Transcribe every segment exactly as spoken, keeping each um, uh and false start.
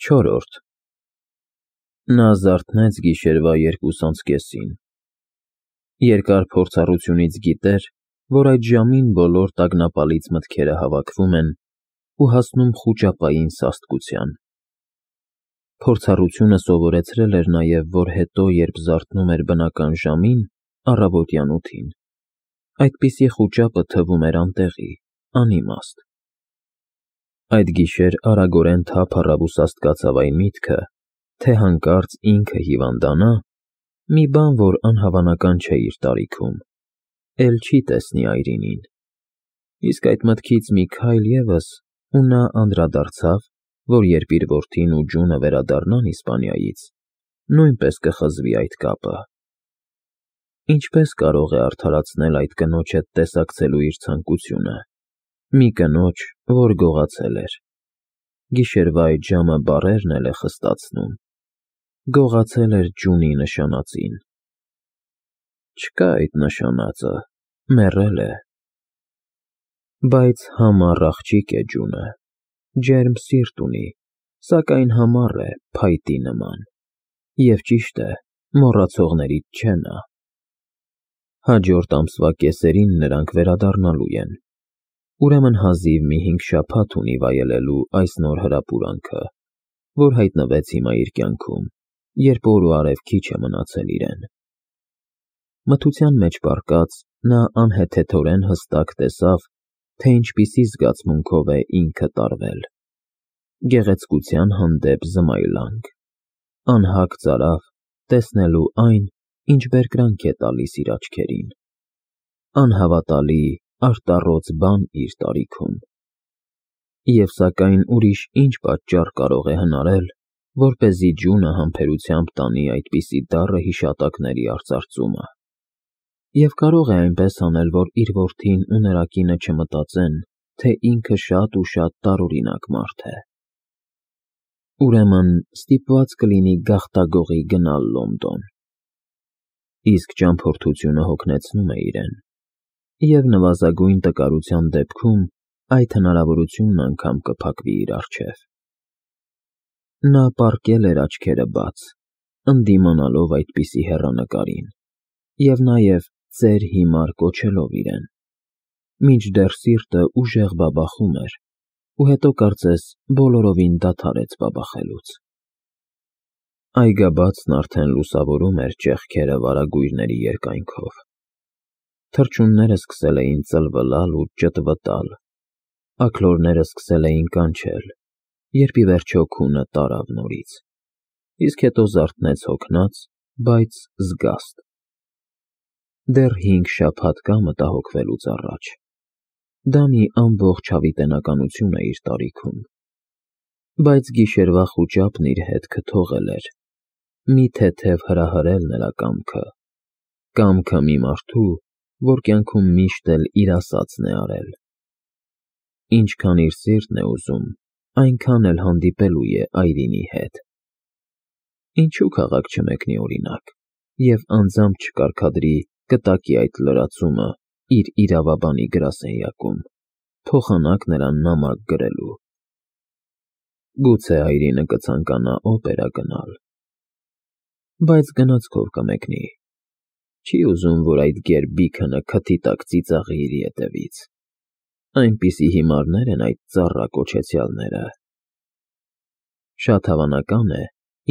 Չորրորդ Նա զարթնեց գիշերվա երկուսանց կեսին. երկար փորձառությունից գիտեր, որ այդ ժամին բոլոր տագնապալից մտքերը հավաքվում են ու հասնում խուճապային սաստկության։ Փորձառությունը սովորեցրել էր նաև, որ հետո, երբ զարթնում էր բնական ժամին, առավոտյան ութին, այդպիսի խուճապը թվում էր անտեղի, անիմաստ։ Այդ գիշեր արագորեն թափ առավ ու սաստկացավ այն միտքը, թե հանկարծ ինքը հիվանդանա, մի բան, որ անհավանական չէ իր տարիքում, էլ չի տեսնի Այրինին։ Իսկ այդ մտքից մի քայլ ևս, ու նա անդրադարձավ, որ երբ իր որդին ու ջունը վերադառնան Իսպանիայից, նույնպես կխզվի այդ կապը։ Ինչպե՞ս կարող է արդարացնել այդ կնոջ հետ տեսակցելու իր ցանկությունը, մի կնոջ, որ գողացել էր։ Գիշերվա այդ ժամը բառերն էլ է խստացնում, գողացել էր ջունի նշանածին։ Չկա այդ նշանածը, մեռել է։ Բայց համառ աղջիկ է ջունը, ջերմ սիրտ ունի, սակայն համառ է, փայտի նման, և ճիշտ է, մոռացողներից չէ նա։ Հաջորդ ամսվա կեսերին նրանք վերադառնալու են, ուրեմն հազիվ մի հինգ շաբաթ ունի վայելելու այս նոր հրապուրանքը, որ հայտնվեց հիմա իր կյանքում, երբ օր ու արև քիչ է մնացել իրեն։ Մթության մեջ պառկած՝ նա անհեթեթորեն հստակ տեսավ, թե ինչպիսի զգացմունքով է ինքը տարվել։ Գեղեցկության հանդեպ զմայլանք, անհագ ծարավ, տեսնելու այն, ինչ բերկրանք է տալիս իր աչքերին, անհավատալի, արտառոց բան իր տարիքում։ Եվ սակայն ուրիշ ինչ պատճառ կարող է հնարել, որպեսզի ջունը համբերությամբ տանի այդպիսի դառը հիշատակների արծարծումը։ Եվ կարող է այնպես անել, որ իր որդին ու նրա կինը չմտածեն, թե ինքը շատ ու շատ տարօրինակ մարդ է։ Ուրեմն ստիպված կլինի գաղտագողի գնալ Լոնդոն։ Իսկ ճամփորդությունը հոգնեցնում է իրեն, և նվազագույն տկարության դեպքում այդ հնարավորությունն անգամ կփակվի իր առջև։ Նա պառկել էր աչքերը բաց, ընդդիմանալով այդպիսի հեռանկարին, և նաև ծեր հիմար կոչելով իրեն, մինչդեռ սիրտը ուժեղ բաբախում էր, ու հետո կարծես բոլորովին դադարեց բաբախելուց։ Այգաբացն արդեն լուսավորում էր ճեղքերը վարագույրների երկայնքով։ Թռչունները սկսել էին ծլվլալ ու ճտվտալ, աքլորները սկսել էին կանչել, երբ ի վերջո քունը տարավ նորից, իսկ հետո զարթնեց հոգնած, բայց զգաստ։ Դեռ հինգ շաբաթ կա մտահոգվելուց առաջ։ Դա մի ամբողջ հավիտենականություն է իր տարիքում։ Բայց գիշերվա խուճապն իր հետքը թողել էր, մի թեթև հրահրել նրա կամքը, կամքը մի մարդու, որ կյանքում միշտ էլ իր ասածն է արել։ Ինչքան իր սիրտն է ուզում, այնքան էլ հանդիպելու է Այրինի հետ։ Ինչու՞ քաղաք չմեկնի օրինակ, և անձամբ չկարգադրի կտակի այդ լրացումը իր իրավաբանի գրասենյակում, փոխանակ նրան նամակ գրելու։ Գուցե Այրինը կցանկանա օպերա գնալ։ Բայց գնացքով կմեկնի։ Չի ուզում, որ այդ գեր Բիքընը քթի տակ ծիծաղի իր ետևից։ Այնպիսի հիմարներ են այդ ծառա կոչեցյալները։ Շատ հավանական է,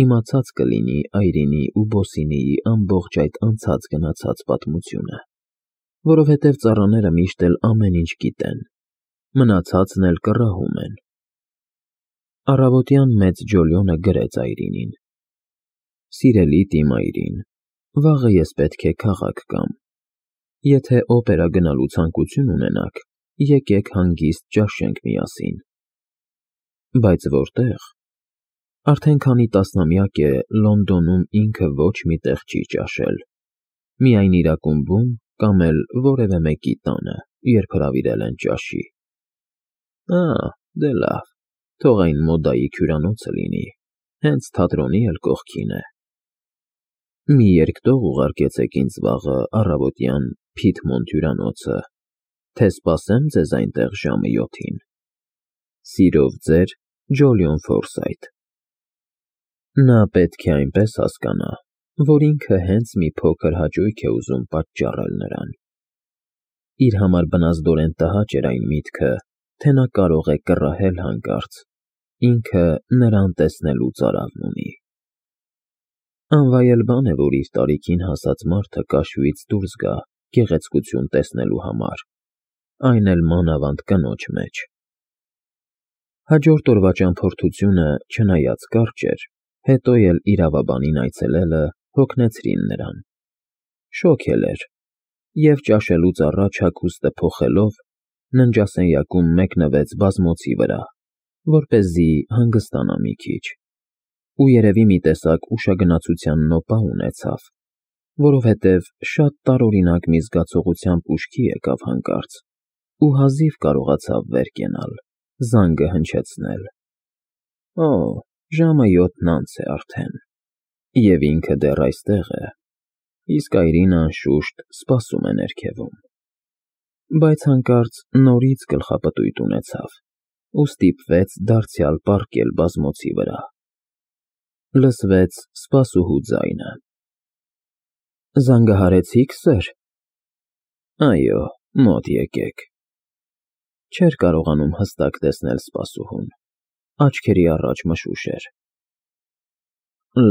իմացած կլինի Այրինի ու Բոսինիի ամբողջ այդ անցած֊գնացած պատմությունը, որովհետև ծառաները միշտ էլ ամեն ինչ գիտեն, մնացածն էլ կռահում են։ Առավոտյան մեծ Ջոլիոնը գրեց Այրինին. «Սիրելի տի Այրին, վաղը ես պետք է քաղաք գամ։ Եթե օպերա գնալու ցանկություն ունենաք, եկեք հանգիստ ճաշենք միասին»։ Բայց որտե՞ղ։ Արդեն քանի տասնամյակ է Լոնդոնում ինքը ոչ մի տեղ չի ճաշել, միայն իր ակումբում կամ էլ որևէ մեկի տանը, երբ հրավիրել են ճաշի։ Ա, դե լավ, թող այն մոդայի հյուրանոցը լինի, հենց թատրոնի էլ կողքին է։ Մի երկտող ուղարկեցեք ինձ վաղը առավոտյան Փիթմոնթ հյուրանոցը, թե սպասեմ ձեզ այնտեղ ժամը յոթին։ Սիրով ձեր Ջոլիոն Ֆորսայթ։ Նա պետք է այնպես հասկանա, որ ինքը հենց մի փոքր հաճույք է ուզում պատճառել նրան։ Իր համար բնազդորեն տհաճ էր այն միտքը, թե նա կարող է կռահել հանկարծ, ինքը նրան տեսնելու ծարավն ունի։ Անվայել բան է, որ իր տարիքին հասած մարդը կաշյուից դուրս գա գեղեցկություն տեսնելու համար, այն էլ մանավանդ կնոջ մեջ։ Հաջորդ օրվա ճամփորդությունը, չնայած կարճ էր, հետո էլ իրավաբանին այցելելը հոգնեցրին նրան։ Շոգ էլ էր, և ճաշելուց առաջ հագուստը փոխելով, ննջասենյակում մեկնվեց բազմոցի վրա, որպեսզի հանգստանա մի քիչ, ու երևի մի տեսակ ուշագնացության նոպա ունեցավ, որովհետև շատ տարօրինակ մի զգացողությամբ ուշքի եկավ հանկարծ ու հազիվ կարողացավ վեր կենալ, զանգը հնչեցնել։ Օ, ժամը յոթն անց է արդեն, և ինքը դեռ այստեղ է, իսկ այրին, անշուշտ, սպասում է ներքևում։ Բայց հանկարծ նորից գլխապտույտ ունեցավ ու ստիպվեց դարձյալ պառկել բազմոցի վրա։ Լսվեց սպասուհու ձայնը. Զանգահարեցի՞ք, սըր։ Այո, մոտ եկեք։ Չէր կարողանում հստակ տեսնել սպասուհուն, աչքերի առաջ մշուշ էր։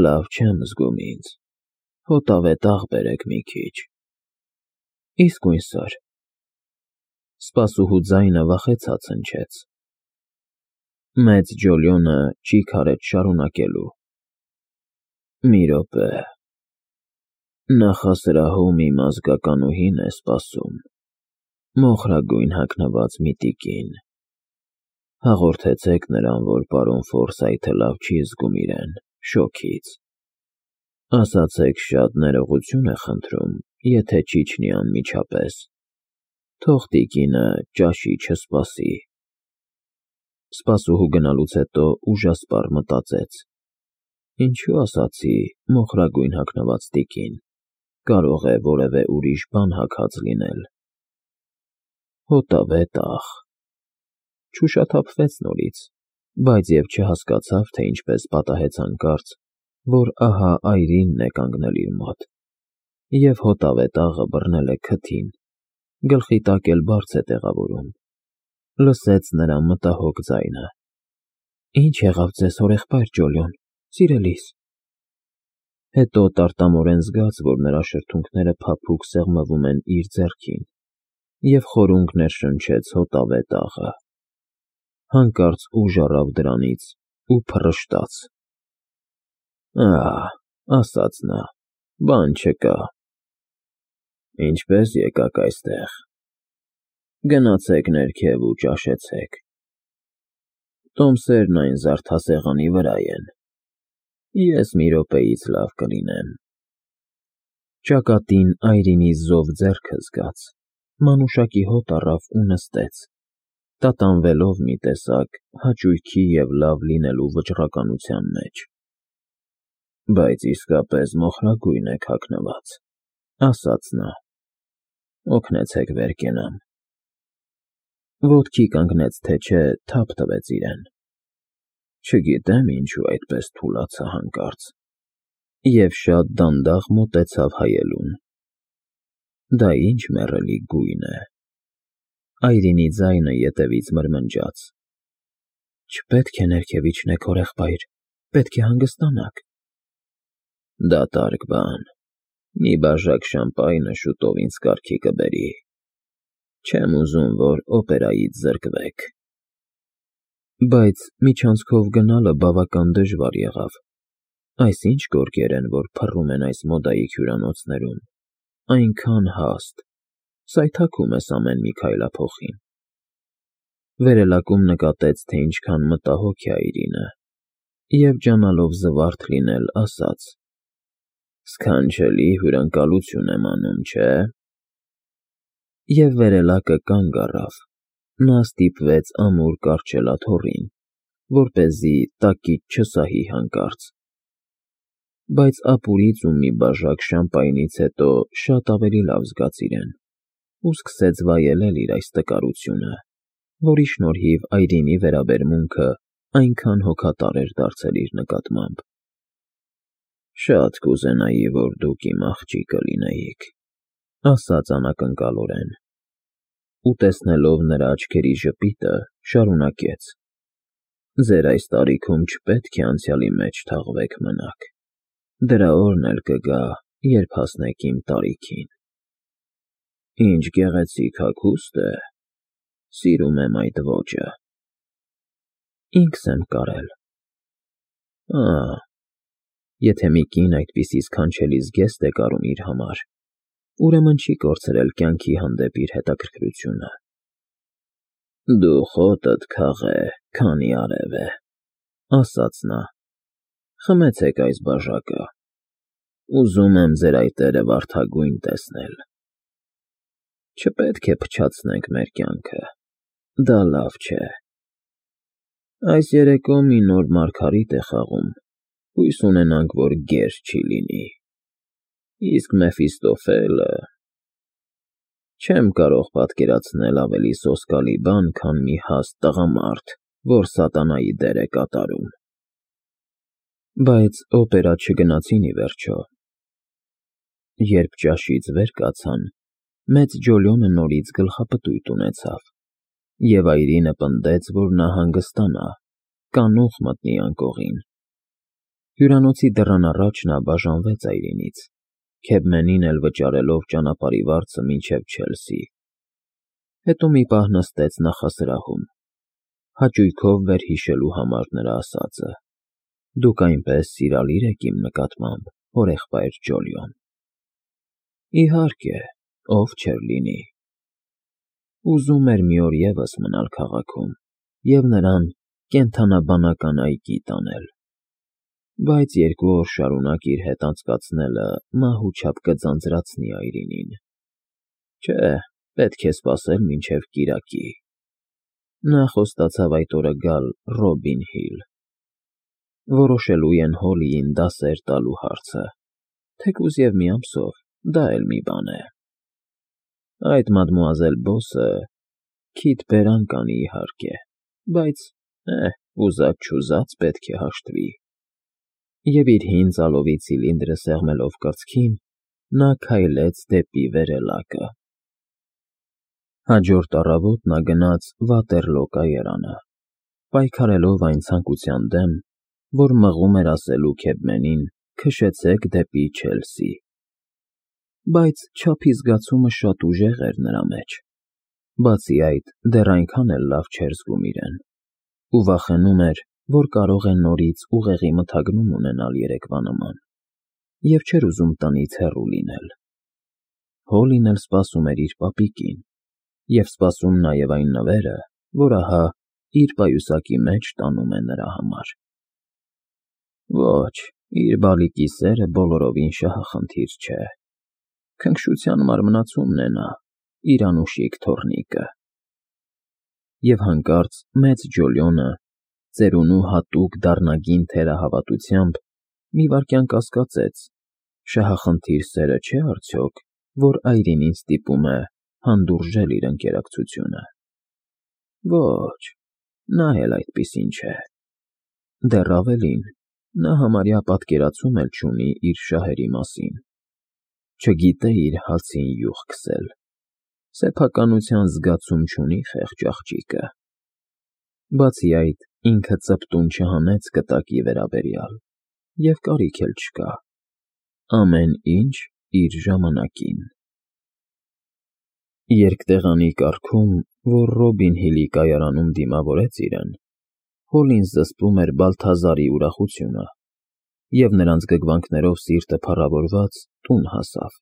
Լավ չեմ զգում ինձ, հոտավետ աղ բերեք մի քիչ։ Իսկույն, սըր։ Սպասուհու ձայնը վախեցած հնչեց։ Մեծ Ջոլիոնը ճիգ արեց շարունակելու. Մի րոպե, նախասրահում իմ ազգականուհին է սպասում, մոխրագույն հագնված մի տիկին, հաղորդեցեք նրան, որ պարոն Ֆորսայթը լավ չի զգում իրեն, շոգից, ասացեք շատ ներողություն է խնդրում, եթե չիջնի անմիջապես, թող տիկինը ճաշի չսպասի։ Սպասուհու գնալուց հետո ուժասպառ մտածեց. Ինչու ասացի մոխրագույն հագնված տիկին, կարող է որևէ ուրիշ բան հագած լինել։ Հոտավետ աղ։ Չուշաթափվեց նորից, բայց և չհասկացավ, թե ինչպես պատահեց հանկարծ, որ ահա այրինն է կանգնել իր մոտ, և հոտավետ աղը բռնել է քթին, գլխի տակ էլ բարձ է տեղավորում։ Լսեց նրա մտահոգ ձայնը. Ինչ եղավ ձեզ, հորեղբայր Ջոլիոն, սիրելիս։ Հետո տարտամորեն զգաց, որ նրա շրթունքները փափուկ սեղմվում են իր ձեռքին, և խորունգ ներշնչեց հոտավետ աղը։ Հանկարծ ուժ առավ դրանից ու փռշտաց։ Ահ, ասաց նա, բան չկա։ Ինչպե՞ս եկաք այստեղ։ Գնացեք ներքև ու ճաշեցեք։ Տոմսերն այն զարդասեղանի վրա են։ Ես մի րոպեից լավ կլինեմ։ Ճակատին այրինի զով ձեռքը զգաց, մանուշակի հոտ առավ ու նստեց, տատանվելով մի տեսակ հաճույքի և լավ լինելու վճռականության մեջ։ Բայց իսկապես մոխրագույն եք հագնված, ասաց նա։ Օգնեցեք վեր կենամ։ Ոտքի կանգնեց, թե չէ, թափ տվեց իրեն։ Չգիտեմ ինչու այդպես թուլացա հանկարծ, և շատ դանդաղ մոտեցավ հայելուն։ Դա ինչ մեռելի գույն է։ Այրինի ձայնը ետևից մրմնջաց. Չպետք է ներքև իջնեք, հորեղբայր, պետք է հանգստանաք։ Դատարկ բան, մի բաժակ շամպայնը շուտով ինձ կարգի կբերի։ Չեմ ուզում, որ օպերայից զրկվեք։ Բայց միջանցքով գնալը բավական դժվար եղավ։ Այս ինչ գորգեր են, որ փռում են այս մոդայիկ հյուրանոցներում, այնքան հաստ, սայթաքում ես ամեն մի քայլափոխին։ Վերելակում նկատեց, թե ինչքան մտահոգ է այրինը, և ջանալով զվարթ լինել, ասաց. Սքանչելի հյուրընկալություն եմ անում, չէ՞։ Եվ վերելակը կանգ առավ, նա ստիպվեց ամուր կառչել աթոռին, որպեսզի տակից չսահի հանկարծ։ Բայց ապուրից ու մի բաժակ շամպայնից հետո շատ ավելի լավ զգաց իրեն ու սկսեց վայելել իր այս տկարությունը, որի շնորհիվ այրինի վերաբերմունքը այնքան հոգատար էր դարձել իր նկատմամբ։ Շատ կուզենայի, որ դուք իմ աղջիկը լինեիք, ասաց անակնկալորեն, ու տեսնելով նրա աչքերի ժպիտը, շարունակեց. Ձեր այս տարիքում չպետք է անցյալի մեջ թաղվեք մնաք, դրա օրն էլ կգա, երբ հասնեք իմ տարիքին։ Ինչ գեղեցիկ հագուստ է, սիրում եմ այդ ոճը։ Ինքս եմ կարել։ Ահ, եթե մի կին այդպիսի սքանչելի զգեստ է կարում իր համար, ուրեմն չի կորցրել կյանքի հանդեպ իր հետաքրքրությունը։ Դու խոտդ քաղե, քանի արև է, ասաց նա, խմեցեք այս բաժակը, ուզում եմ ձեր այտերը վարդագույն տեսնել։ Չպետք է փչացնենք մեր կյանքը, դա լավ չէ։ Այս երեկո մի նոր մարգարիտ է խաղում, հույս ունենանք, որ գեր չի լինի, իսկ Մեֆիստոֆելը… Չեմ կարող պատկերացնել ավելի սոսկալի բան, քան մի հաստ տղամարդ, որ սատանայի դեր է կատարում։ Բայց օպերա չգնացին ի վերջո։ Երբ ճաշից վեր կացան, մեծ Ջոլիոնը նորից գլխապտույտ ունեցավ, և այրինը պնդեց, որ նա հանգստանա, կանուխ մտնի անկողին։ Հյուրանոցի դռան առաջ նա բաժանվեց այրինից, Քեբմենին էլ վճարելով ճանապարհի վարձը մինչև Չելսի։ Հետո մի պահ նստեց նախասրահում, հաճույքով վերհիշելու համար նրա ասածը. Դուք այնպես սիրալիր եք իմ նկատմամբ, հորեղբայր Ջոլիոն։ Իհարկե, ով չէր լինի։ Ուզում էր մի օր ևս մնալ քաղաքում և նրան կենդանաբանական այգի տանել, բայց երկու օր շարունակ իր հետ անցկացնելը մահու չափ կձանձրացնի այրինին։ Չէ, պետք է սպասել մինչև կիրակի։ Նա խոստացավ այդ օրը գալ Ռոբին Հիլ։ Որոշելու են Հոլիին դասեր տալու հարցը, թեկուզ և մի ամսով, դա էլ մի բան է։ Այդ մադմուազել Բոսը քիթ բերան կանի, իհարկե, բայց, էհ, ուզած-չուզած պետք է հաշտվի։ Եվ իր հին ծալովի ցիլինդրը սեղմելով կրծքին, նա քայլեց դեպի վերելակը։ Հաջորդ առավոտ նա գնաց Վատերլո կայարանը, պայքարելով այն ցանկության դեմ, որ մղում էր ասելու Քեբմենին քշեցեք դեպի Չելսի։ Բայց չափի զգացումը շատ ուժեղ էր նրա մեջ, բացի այդ, դեռ այնքան էլ լավ չէր զգում իրեն, ու վախենում էր, որ կարող է նորից ուղեղի մթագնում ունենալ երեկվա նման, և չէր ուզում տնից հեռու լինել։ Հոլին էլ սպասում էր իր պապիկին, և սպասում նաև այն նվերը, որ ահա իր պայուսակի մեջ տանում է նրա համար։ Ոչ, իր բալիկի սերը բոլորովին շահախնդիր չէ։ Քնքշության մարմնացումն է նա, իր անուշիկ թոռնիկը։ Եվ հանկարծ մեծ Ջոլիոնը, ծերունու հատուկ դառնագին թերահավատությամբ, մի վայրկյան կասկածեց. շահախնդիր սերը չէ՞ արդյոք, որ այրինին ստիպում է հանդուրժել իր ընկերակցությունը։ Ոչ, նա էլ այդպիսին չէ։ Դեռ ավելին, նա համարյա պատկերացում էլ չունի իր շահերի մասին։ Չգիտե իր հացին յուղ քսել, սեփականության զգացում չունի խեղճ աղջիկը։ Բացի այդ, ինքը ծպտուն չհանեց կտակի վերաբերյալ, և կարիք էլ չկա։ Ամեն ինչ իր ժամանակին։ Երկտեղանի կառքում, որ Ռոբին Հիլի կայարանում դիմավորեց իրեն, Հոլին զսպում էր Բալթազարի ուրախությունը, և նրանց գգվանքներով սիրտը փառավորված տուն հասավ։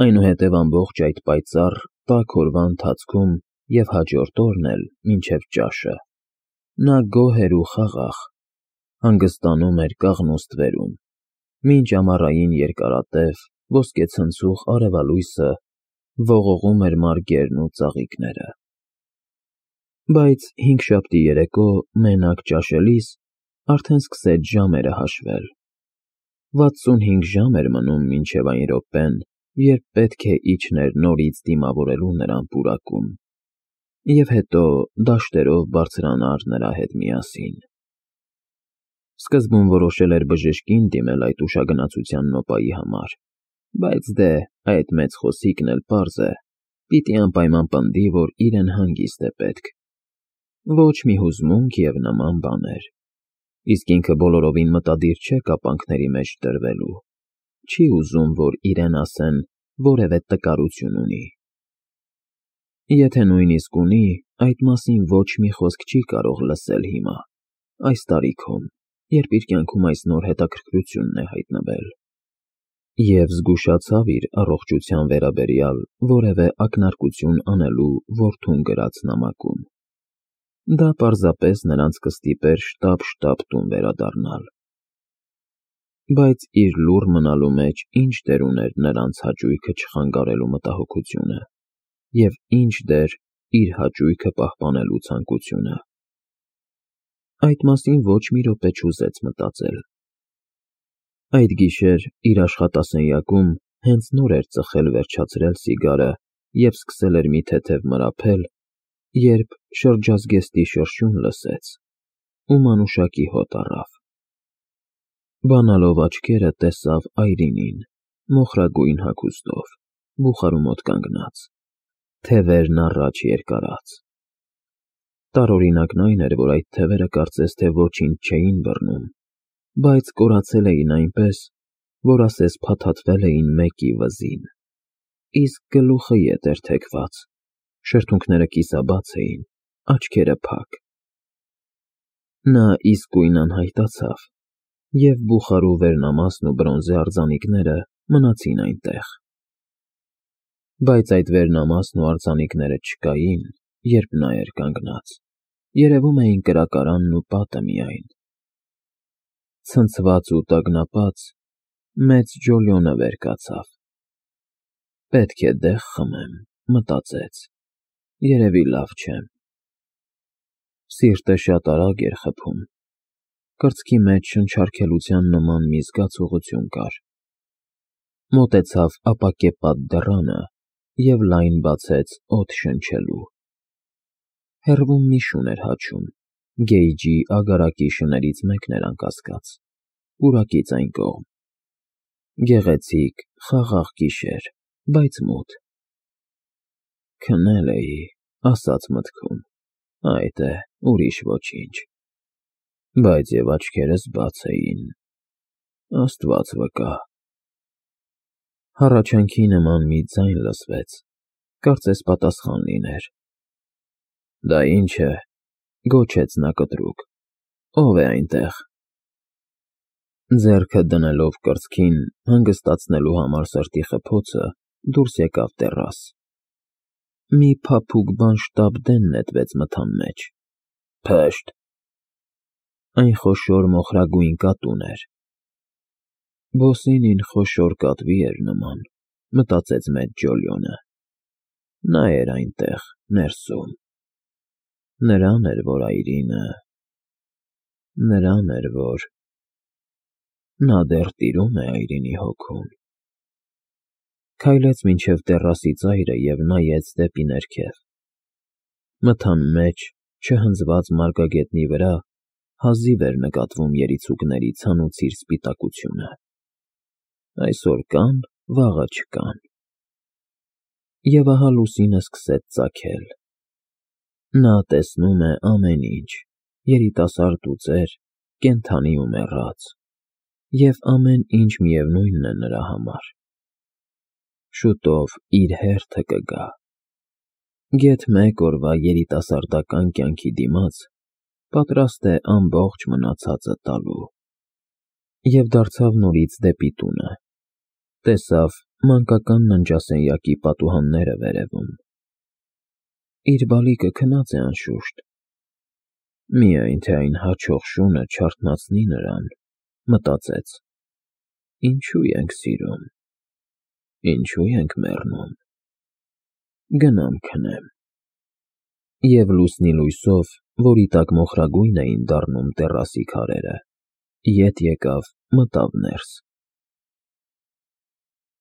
Այնուհետև ամբողջ այդ պայծառ, տաք օրվա ընթացքում և հաջորդ օրն էլ, մինչև ճաշը, նա գոհ էր ու խաղաղ, հանգստանում էր կաղնու ստվերում, մինչ ամառային երկարատև, ոսկեցնցուղ արևալույսը ողողում էր մարգերն ու ծաղիկները։ Բայց հինգշաբթի երեկո, մենակ ճաշելիս, արդեն սկսեց ժամերը հաշվել։ Վաթսունհինգ ժամ էր մնում մինչև այն րոպեն, երբ պետք է իջներ նորից դիմավորելու նրան պուրակում, և հետո դաշտերով բարձրանար նրա հետ միասին։ Սկզբում որոշել էր բժշկին դիմել այդ ուշագնացության նոպայի համար, բայց դե այդ մեծ խոսիքն էլ պարզ է, պիտի անպայման պնդի, որ իրեն հանգիստ է պետք, ոչ մի հուզմունք և նման բաներ, իսկ ինքը բոլորովին մտադիր չէ կապանքների մեջ տրվելու, չի ուզում, որ իրեն ասեն որևէ տկարություն ունի։ Եթե նույնիսկ ունի, այդ մասին ոչ մի խոսք չի կարող լսել հիմա, այս տարիքում, երբ իր կյանքում այս նոր հետաքրքրությունն է հայտնվել, և զգուշացավ իր առողջության վերաբերյալ որևէ ակնարկություն անելու որդուն գրած նամակում։ Դա պարզապես նրանց կստիպեր շտապ-շտապ տուն վերադառնալ։ Բայց իր լուռ մնալու մեջ ինչ դեր ուներ նրանց հաճույքը չխանգարելու մտահոգությունը և ինչ դեր իր հաճույքը պահպանելու ցանկությունը։ Այդ մասին ոչ մի րոպե չուզեց մտածել։ Այդ գիշեր իր աշխատասենյակում հենց նոր էր ծխել վերջացրել սիգարը և սկսել էր մի թեթև մրափել, երբ շրջազգեստի շրշյուն լսեց ու մանուշակի հոտ առավ։ Բանալով աչքերը տեսավ Այրինին, մոխրագույն հագուստով, բուխարու մոտ կանգնած, թևերն առաջ երկարած։ Տարօրինակն այն էր, որ այդ թևերը կարծես թե ոչինչ չէին բռնում, բայց կորացել էին այնպես, որ ասես փաթաթվել էին մեկի վզին, իսկ գլուխը ետ էր թեքված, շրթունքները կիսաբաց էին, աչքերը փակ։ Նա իսկույն անհայտացավ, և բուխարու վերնամասն ու բրոնզե արձանիկները մնացին այնտեղ։ Բայց այդ վերնամասն ու արձանիկները չկային, երբ նա էր կանգնած, երևում էին կրակարանն ու պատը միայն։ Ցնցված ու տագնապած, մեծ Ջոլիոնը վեր կացավ։ Պետք է դեղ խմեմ, մտածեց, երևի լավ չեմ։ Սիրտը շատ արագ էր խփում, կրծքի մեջ շնչառքելության նման մի զգացողություն կար։ Մոտեցավ ապակեպատ դռանը և լայն բացեց օդ շնչելու։ Հեռվում մի շուն էր հաչում, գեյջի ագարակի շներից մեկն էր անկասկած, պուրակից այն կողմ։ Գեղեցիկ, խաղաղ գիշեր, բայց մութ։ Քնել էի, ասաց մտքում, այդ է, ուրիշ ոչինչ, բայց և աչքերս բաց էին, Աստված վկա։ Հառաչանքի նման մի ձայն լսվեց, կարծես պատասխան լիներ։ Դա ի՞նչ է, գոչեց նա կտրուկ, ո՞վ է այնտեղ։ Ձեռքը դնելով կրծքին, հանգստացնելու համար սրտի խփոցը, դուրս եկավ տեռաս։ Մի փափուկ բան շտապ դեն նետվեց մթան մեջ։ Փշտ։ Այն խոշոր մոխրագույն կատուն էր։ Բոսինին խոշոր կատվի էր նման, մտածեց մեծ Ջոլիոնը։ Նա էր այնտեղ, ներսում։ Նրան էր, որ Այրինը… Նրան էր, որ… Նա դեռ տիրում է Այրինի հոգուն։ Քայլեց մինչև տեռասի ծայրը և նայեց դեպի ներքև։ Մթան մեջ, չհնձված մարգագետնի վրա հազիվ էր նկատվում երիցուկների ցանուցիր սպիտակությունը։ Այսօր կան, վաղը չկան։ Եվ ահա լուսինը սկսեց ծագել։ Նա տեսնում է ամեն ինչ, երիտասարդ ու ծեր, կենդանի ու մեռած, և ամեն ինչ միևնույնն է նրա համար։ Շուտով իր հերթը կգա։ Գեթ մեկ օրվա երիտասարդական կյանքի դիմաց պատրաստ է ամբողջ մնացածը տալու։ Եվ դարձավ նորից դեպի տունը, տեսավ մանկական ննջասենյակի պատուհանները վերևում։ Իր բալիկը քնած է անշուշտ, միայն թե այն հաչող շունը չարթնացնի նրան, մտածեց. ինչու ենք սիրում, ինչու ենք մեռնում, գնամ քնեմ։ Եվ լուսնի լույսով, որի տակ մոխրագույն էին դառնում տեռասի քարերը, ետ եկավ, մտավ ներս։